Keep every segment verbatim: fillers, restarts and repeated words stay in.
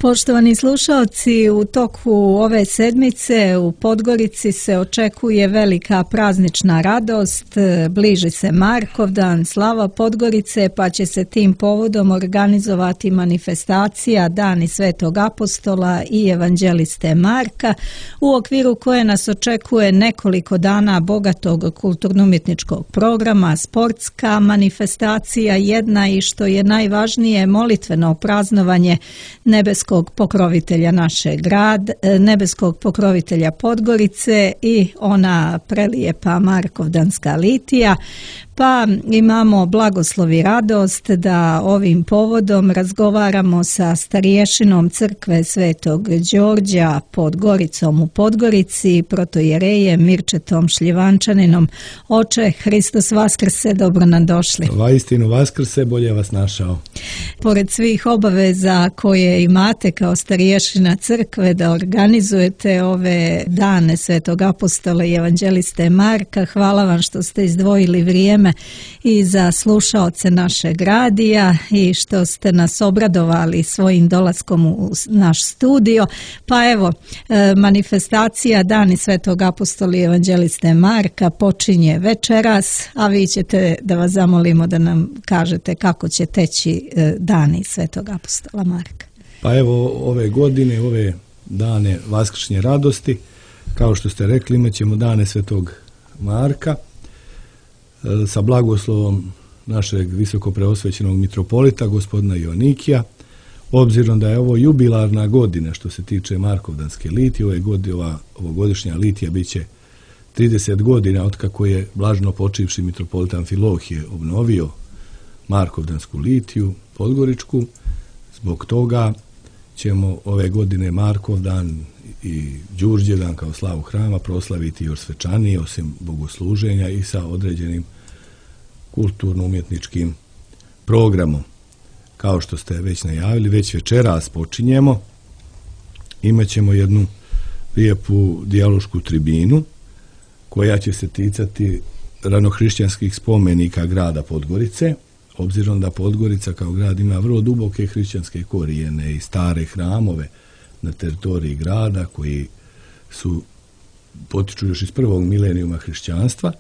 Poštovani slušalci, u toku ove sedmice u Podgorici se očekuje velika praznična radost, bliži se Markovdan, slava Podgorice, pa će se tim povodom organizovati manifestacija Dani Svetog Apostola i Evanđeliste Marka, u okviru koje nas očekuje nekoliko dana bogatog kulturno-umjetničkog programa, sportska manifestacija jedna i, što je najvažnije, molitveno praznovanje nebeskog pokrovitelja našeg grada, nebeskog pokrovitelja Podgorice i ona prelijepa Markovdanska litija. Pa imamo blagoslov i radost da ovim povodom razgovaramo sa starješinom crkve Svetog Đorđa pod Goricom u Podgorici, protojerejem Mirčetom Šljivančaninom. Oče, Hristos vaskrse, dobro nam došli. Vaistinu vaskrse, bolje vas našao. Pored svih obaveza koje imate kao starješina crkve da organizujete ove dane Svetog Apostola i Evanđeliste Marka, hvala vam što ste izdvojili vrijeme i za slušaoce našeg radija i što ste nas obradovali svojim dolaskom u naš studio. Pa evo, manifestacija Dani Svetog Apostola i Evanđeliste Marka počinje večeras, a vi ćete da vas zamolimo da nam kažete kako će teći Dani Svetog Apostola Marka. Pa evo, ove godine, ove dane vaskršnje radosti, kao što ste rekli, imat ćemo Dane Svetog Marka sa blagoslovom našeg visoko preosvećenog mitropolita, gospodina Joanikija. Obzirom da je ovo jubilarna godina što se tiče Markovdanske litije, ove godine, ova ovogodišnja litija bit će trideset godina otkako je blaženo počivši mitropolit Amfilohije obnovio Markovdansku litiju podgoričku. Zbog toga ćemo ove godine Markovdan i Đurđevdan kao slavu hrama proslaviti još svečanije, osim bogosluženja, i sa određenim kulturno-umjetničkim programom. Kao što ste već najavili, već večeras počinjemo. Imaćemo jednu lijepu dijalošku tribinu koja će se ticati ranohrišćanskih spomenika grada Podgorice, obzirom da Podgorica kao grad ima vrlo duboke hrišćanske korijene i stare hramove na teritoriji grada koji su potiču još iz prvog milenijuma hrišćanstva.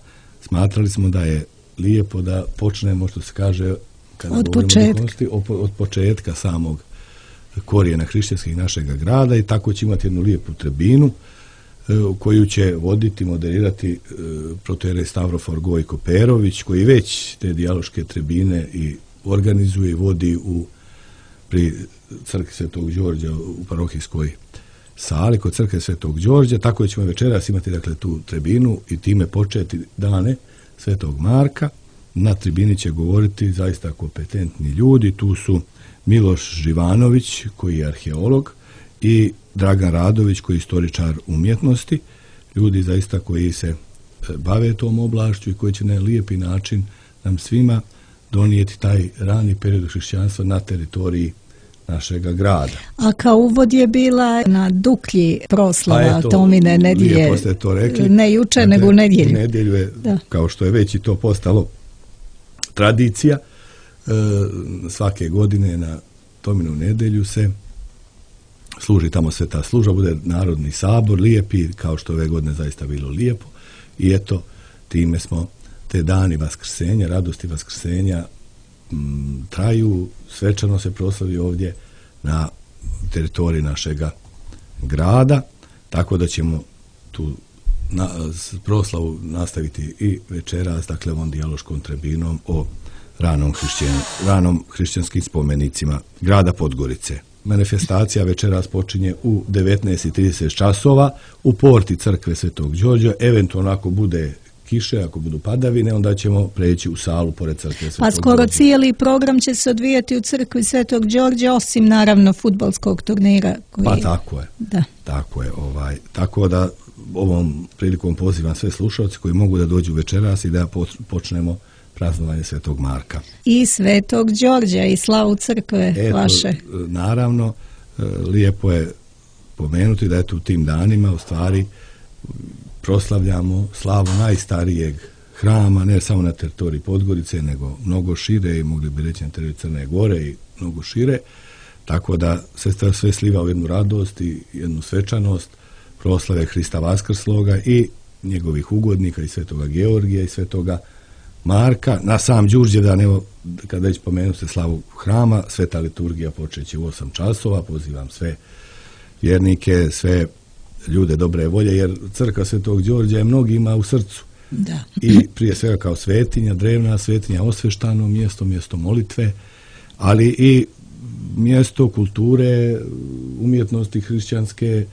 Smatrali smo da je lijepo da počnemo, što se kaže, kada od početka. od početka samog korijena hrišćanskih našega grada, i tako će imati jednu lijepu tribinu koju će voditi, moderirati protojerej Stavrofor Gojko Perović, koji već te dijaloške tribine i organizuje i vodi u pri crkvi Svetog Đorđa u parohijskoj sali kod crkve Svetog Đorđa. Tako ćemo večeras imati, dakle, tu tribinu i time početi dane Svetog Marka. Na tribini će govoriti zaista kompetentni ljudi. Tu su Miloš Živanović, koji je arheolog, i Dragan Radović, koji je istoričar umjetnosti. Ljudi zaista koji se bave tom oblašću i koji će na lijepi način nam svima donijeti taj rani period hrišćanstva na teritoriji našega grada. A kao uvod je bila na Duklji proslava Tomine nedjelje. Lijepo ste to rekli. Ne juče, nego u nedjelju. U nedjelju je, da. Kao što je već i to postalo tradicija, e, svake godine na Tominu nedjelju se služi tamo sveta služba, bude narodni sabor, lijepi, kao što ove godine zaista bilo lijepo. I eto, time smo te dani vaskrsenja, radosti vaskrsenja m, traju, svečano se proslavi ovdje na teritoriji našega grada, tako da ćemo tu na, proslavu nastaviti i večeras, dakle, ovom dijaloškom tribinom o ranom, hrišćan, ranom hrišćanskim spomenicima grada Podgorice. Manifestacija večeras počinje u devetnaest i trideset časova u porti crkve Svetog Đorđa. Eventualno ako bude kiše, ako budu padavine, onda ćemo preći u salu pored crkve Svetog Đorđa. A skoro cijeli program će se odvijati u crkvi Svetog Đorđa, osim naravno fudbalskog turnira. Koji... Pa tako je. Da. Tako je. Ovaj. Tako da ovom prilikom pozivam sve slušalce koji mogu da dođu večeras i da počnemo praznovanje Svetog Marka. I Svetog Đorđa i slavu crkve. Eto, vaše. Naravno, lijepo je pomenuti da je u tim danima u stvari proslavljamo slavu najstarijeg hrama, ne samo na teritoriji Podgorice, nego mnogo šire, i mogli bi reći na teritoriji Crne Gore i mnogo šire. tako da se to sve sliva u jednu radost i jednu svečanost proslave Hrista Vaskrsloga i njegovih ugodnika i svetoga Georgija i svetoga Marka. Na sam Đurđevdan, evo, kad već pomenu se slavu hrama, sveta liturgija počeće u osam časova, pozivam sve vjernike, sve ljude dobre volje, jer crkva Svetog Đorđa je mnogima u srcu. Da. I prije svega kao svetinja, drevna svetinja, osveštano mjesto, mjesto molitve, ali i mjesto kulture, umjetnosti hrišćanske,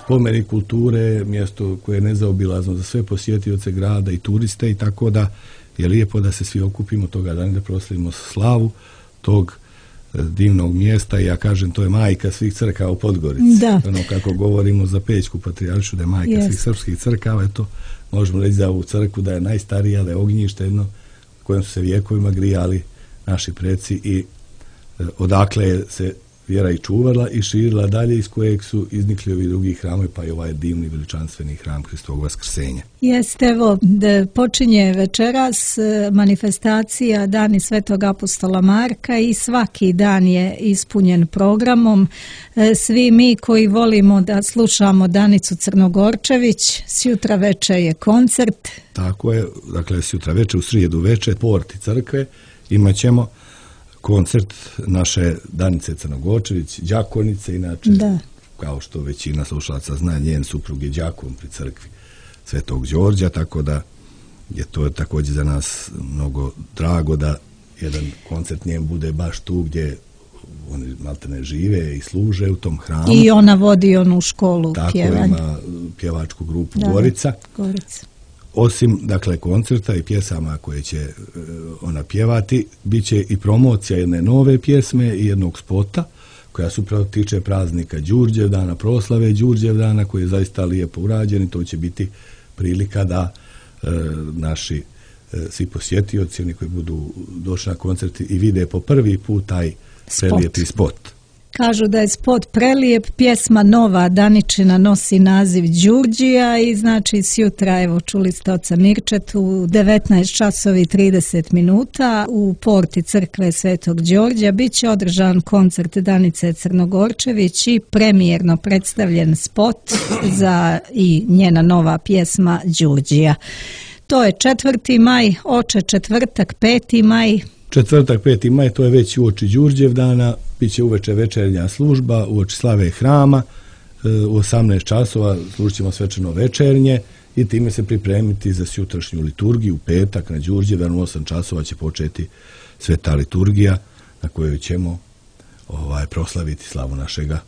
spomenik kulture, mjesto koje je nezaobilazno za sve posjetioce grada i turiste, i tako da je lijepo da se svi okupimo toga dana, da proslavimo slavu tog divnog mjesta. I ja kažem, to je majka svih crkava u Podgorici. Da. Ono kako govorimo za Pećku patrijaršu da je majka yes. svih srpskih crkava, to možemo reći za ovu crkvu da je najstarija, da je ognjište jedno kojem su se vjekovima grijali naši preci i e, odakle se vjera i čuvala i širila dalje, iz kojeg su iznikli ovi drugi hramovi, pa i ovaj divni veličanstveni hram Hristovog Vaskrsenja. Jeste, evo, da počinje večeras manifestacija Dani Svetog apostola Marka i svaki dan je ispunjen programom. Svi mi koji volimo da slušamo Danicu Crnogorčević, sjutra veče je koncert. Tako je, dakle, sjutra veče, u srijedu veče, porti crkve, imat ćemo koncert naše Danice Crnogorčević, đakonice, inače, da. Kao što većina slušalaca zna, njen suprug je đakon pri crkvi Svetog Đorđa, tako da je to također za nas mnogo drago da jedan koncert njen bude baš tu gdje oni maltene žive i služe u tom hramu. I ona vodi onu školu pjevanja. Tako, ima pjevačku grupu da, Gorica. Gorica. Osim, dakle, koncerta i pjesama koje će e, ona pjevati, bit će i promocija jedne nove pjesme i jednog spota, koja se upravo tiče praznika Đurđevdana, proslave Đurđevdana, koji je zaista lijepo urađen, i to će biti prilika da e, naši e, svi posjetioci, oni koji budu došli na koncerti i vide po prvi put taj prelijepi spot. Kažu da je spot prelijep, pjesma nova Daničina nosi naziv Đurđija i znači sjutra, evo čuli ste oca Mirčetu, u devetnaest časovi trideset minuta u porti crkve Svetog Đorđa bit će održan koncert Danice Crnogorčević i premijerno predstavljen spot za i njena nova pjesma Đurđija. To je četvrti maj, oče četvrtak, peti maj. Četvrtak, peti maj, to je već uoči Đurđevdana, bit će uveče večernja služba, uoči slave hrama, u osamnaest časova služit ćemo svečano večernje i time se pripremiti za sutrašnju liturgiju. U petak na Đurđevdan u osam časova će početi sveta liturgija na kojoj ćemo ovaj, proslaviti slavu našega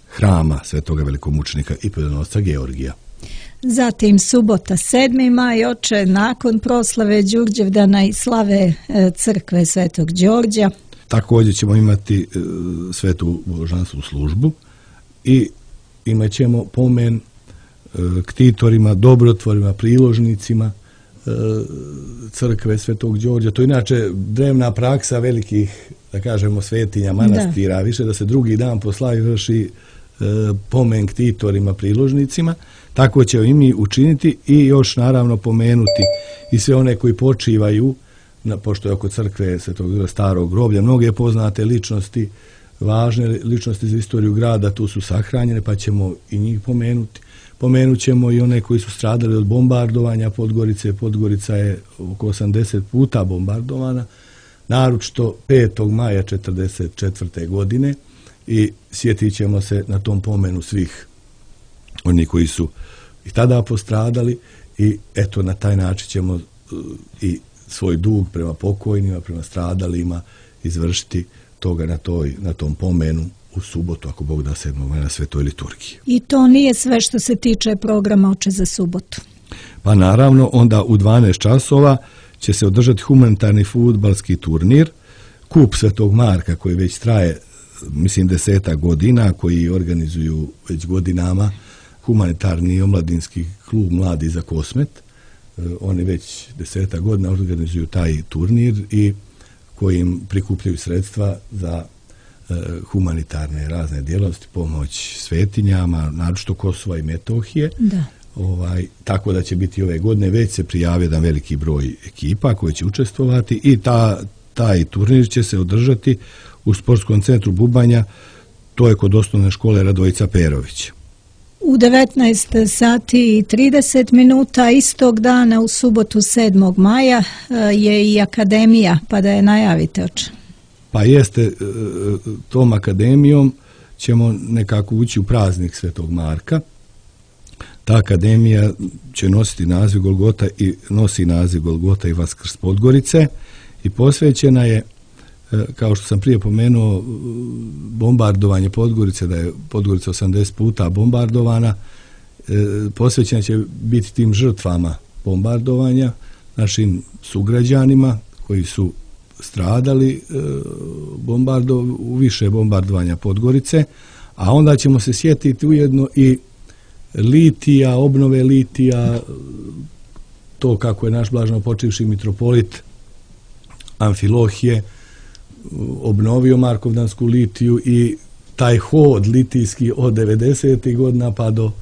hrama, svetoga velikomučenika i pobjedonosca Georgija. Zatim subota sedmi maj, oče, nakon proslave Đurđevdana i slave crkve Svetog Đorđa. Također ćemo imati e, svetu božanstvenu službu i imat ćemo pomen e, ktitorima, dobrotvorima, priložnicima e, crkve Svetog Đorđa. To je inače drevna praksa velikih, da kažemo, svetinja, manastira, da. Više da se drugi dan po slavi vrši e, pomen ktitorima, priložnicima. Tako će i mi učiniti i još naravno pomenuti i sve one koji počivaju, na, pošto je oko crkve Svetog starog groblja mnoge poznate ličnosti, važne ličnosti za istoriju grada, tu su sahranjene, pa ćemo i njih pomenuti. Pomenut ćemo i one koji su stradali od bombardovanja Podgorice. Podgorica je oko osamdeset puta bombardovana, naročito petog maja četrdeset četvrte godine, i sjetit ćemo se na tom pomenu svih oni koji su i tada postradali, i eto na taj način ćemo uh, i svoj dug prema pokojnima, prema stradalima izvršiti toga na, toj, na tom pomenu u subotu, ako Bog da, sedmog maja na svetoj liturgiji. I to nije sve što se tiče programa oče za subotu. Pa naravno, onda u dvanaest časova će se održati humanitarni fudbalski turnir, kup Svetog Marka, koji već traje, mislim, deseta godina, koji organizuju već godinama humanitarni i omladinski klub Mladi za Kosmet. Oni već deseta godina organizuju taj turnir i kojim prikupljaju sredstva za e, humanitarne razne djelatnosti, pomoć svetinjama, naročito Kosova i Metohije. Da. Ovaj, tako da će biti ove godine, već se prijavio jedan veliki broj ekipa koji će učestvovati i ta, taj turnir će se održati u sportskom centru Bubanja, to je kod osnovne škole Radojica Perović. U devetnaest sati i trideset minuta istog dana u subotu sedmog maja je i akademija, pa da je najavite oče. Pa jeste, tom akademijom ćemo nekako ući u praznik Svetog Marka. Ta akademija će nositi naziv Golgota i nosi naziv Golgota i Vaskrs Podgorice i posvećena je, kao što sam prije pomenuo, bombardovanje Podgorice, da je Podgorica osamdeset puta bombardovana, posvećena će biti tim žrtvama bombardovanja, našim sugrađanima koji su stradali bombardo, u više bombardovanja Podgorice, a onda ćemo se sjetiti ujedno i litija, obnove litija, to kako je naš blaženo počivši mitropolit Amfilohije obnovio Markovdansku litiju i taj hod litijski od devedesetih godina pa do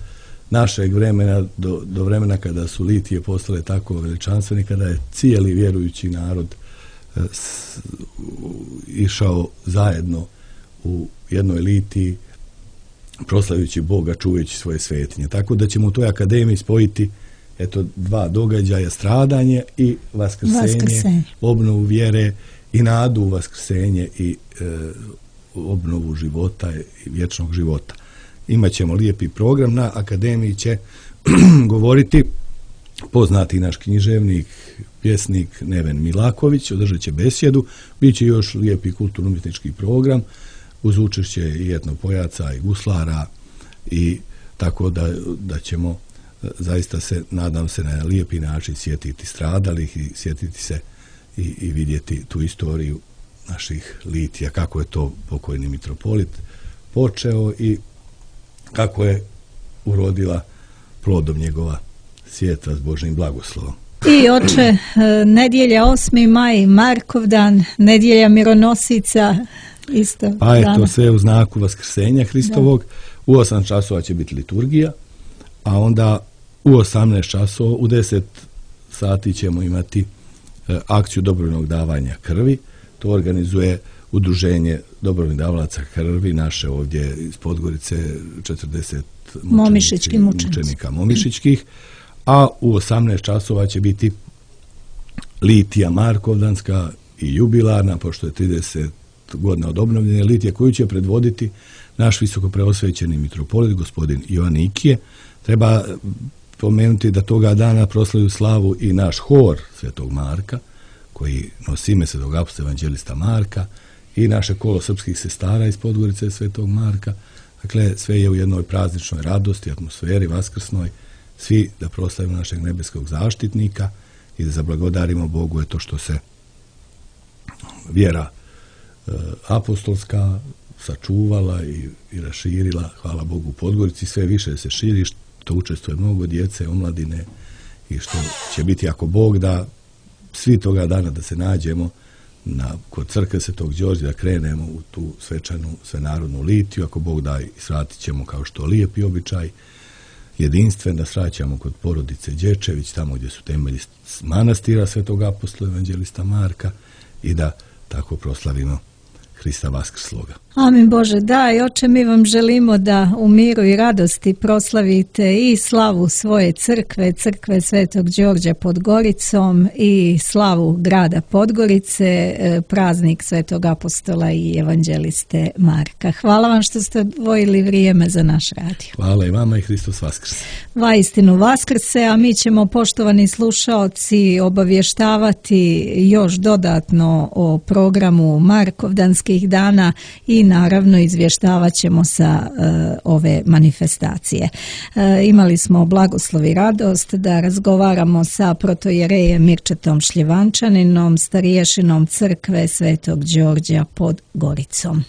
našeg vremena, do, do vremena kada su litije postale tako veličanstveni, kada je cijeli vjerujući narod s, išao zajedno u jednoj litiji proslavljući Boga, čuvajući svoje svetinje. Tako da ćemo u toj akademiji spojiti eto dva događaja, stradanje i vaskrsenje, vaskrsenje. obnovu vjere i nadu u vaskrsenje i e, obnovu života i vječnog života. Imaćemo lijepi program. Na akademiji će govoriti poznati naš književnik, pjesnik Neven Milaković, održat će besjedu, bit će još lijepi kulturno-umjetnički program uz učešće i etnopojaca i guslara, i tako da, da ćemo zaista se, nadam se, na lijepi način sjetiti stradalih i sjetiti se i, i vidjeti tu istoriju naših litija, kako je to pokojni mitropolit počeo i kako je urodila plodom njegova sjetva s Božjim blagoslovom. I oče, nedjelja osmi maj, Markovdan, nedjelja mironosica, isto. Pa je to sve u znaku vaskrsenja Hristovog. Da. U osam časova će biti liturgija, a onda u osamnaest časova, u deset sati ćemo imati e, akciju dobrovoljnog davanja krvi. To organizuje udruženje dobrovoljnih davalaca krvi, naše ovdje iz Podgorice, četrdeset Momišički mučenika Momišičkih, a u osamnaest časova će biti litija Markovdanska i jubilarna, pošto je trideset godina od obnovljene litije, koju će predvoditi naš visoko preosvećeni mitropolit, gospodin Jovan Ikije. Treba pomenuti da toga dana proslavlju slavu i naš hor Svetog Marka, koji nosi ime Svetog apostola evanđelista Marka, i naše kolo srpskih sestara iz Podgorice Svetog Marka. Dakle, sve je u jednoj prazničnoj radosti, atmosferi vaskrsnoj, svi da proslavimo našeg nebeskog zaštitnika i da zablagodarimo Bogu je to što se vjera e, apostolska sačuvala i, i raširila, hvala Bogu, u Podgorici, sve više se širi, što učestvuje mnogo djece, omladine, i što će biti, ako Bog da, svi toga dana da se nađemo na, kod crkve Svetog Đorđa, da krenemo u tu svečanu svenarodnu litiju, ako Bog da, i svratit ćemo, kao što lijepi običaj, jedinstven, da svraćamo kod porodice Đečević, tamo gdje su temelji manastira Svetog apostola evanđelista Marka, i da tako proslavimo Hrista vaskrsloga. Amin Bože, da, i oče, mi vam želimo da u miru i radosti proslavite i slavu svoje crkve, crkve Svetog Đorđa pod Goricom, i slavu grada Podgorice, praznik Svetog apostola i evanđeliste Marka. Hvala vam što ste odvojili vrijeme za naš radio. Hvala i vama, i Hristos vaskrse. Vaistinu vaskrse, a mi ćemo, poštovani slušaoci, obavještavati još dodatno o programu Markovdanskih dana i naravno izvještavat ćemo sa uh, ove manifestacije. Uh, imali smo blagoslov i radost da razgovaramo sa protojerejem Mirčetom Šljivančaninom, stariješinom crkve Svetog Đorđa pod Goricom.